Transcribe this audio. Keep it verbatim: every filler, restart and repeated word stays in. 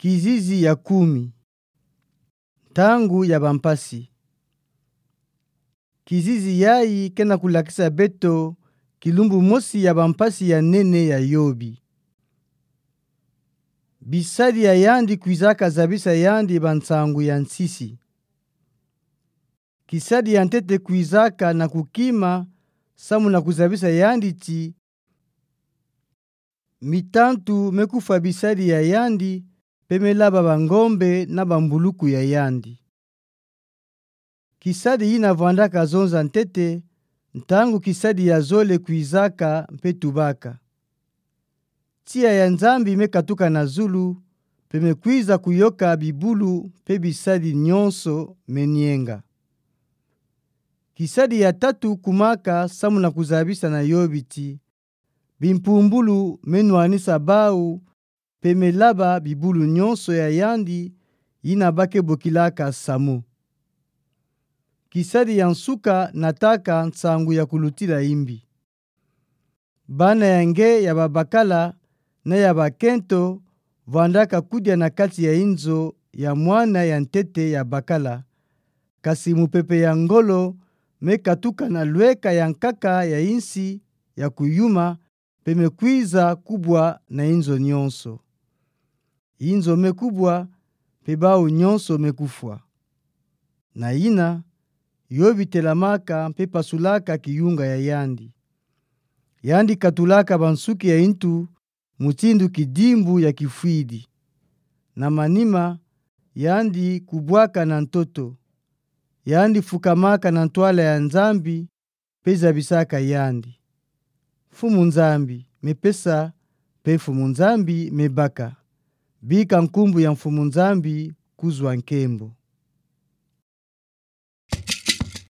Kizizi ya kumi. Ntangu ya bampasi. Kizizi yayi ke na kulakisa beto kilumbu mosi ya bampasi ya nene ya Yobi. Bisadi ya yandi kwizaka zabisa yandi ba nsangu ya nsisi. Kisadi ya ntete kwizaka na kukima samu na kuzabisa yandi ti mitantu me kufwa bisadi ya yandi, mpe me laba bangombe na bambuluku ya yandi. Kisadi yina vwandaka zonza ntete, ntangu kisadi ya zole kwizaka mpe tubaka. Tiya ya Nzambi me katuka na zulu, mpe me kwiza kuyoka bibulu mpe bisadi nyonso me nienga. Kisadi ya tatu kumaka samu na kuzabisa na Yobi ti bimpumbulu me nwanisa bau, mpe me laba bibulu nyonso ya yandi yina ba ke bokilaka samu. Kisadi ya nsuka nataka nsangu ya kulutila imbi. Bana ya nge ya babakala na ya bakento vwandaka kudia na kati ya inzo ya mwana ya ntete ya bakala, kasi mupepe ya ngolo me katuka na lweka ya nkaka ya insi ya kuyuma, mpe me kwiza kubwa na inzo nyonso. Inzo me kubwa, mpe bau nyonso me kufwa. Na yina, Yobi telamaka mpe pasulaka kiyunga ya yandi. Yandi katulaka bansuki ya intu mutindu kidimbu ya kifwidi. Na manima, yandi kubwaka na ntoto. Yandi fukamaka na ntwala ya Nzambi, mpe zabisaka yandi. Mfumu Nzambi me pesa, mpe Mfumu Nzambi me baka. Bika nkumbu ya Mfumu Nzambi kuzwa nkembo.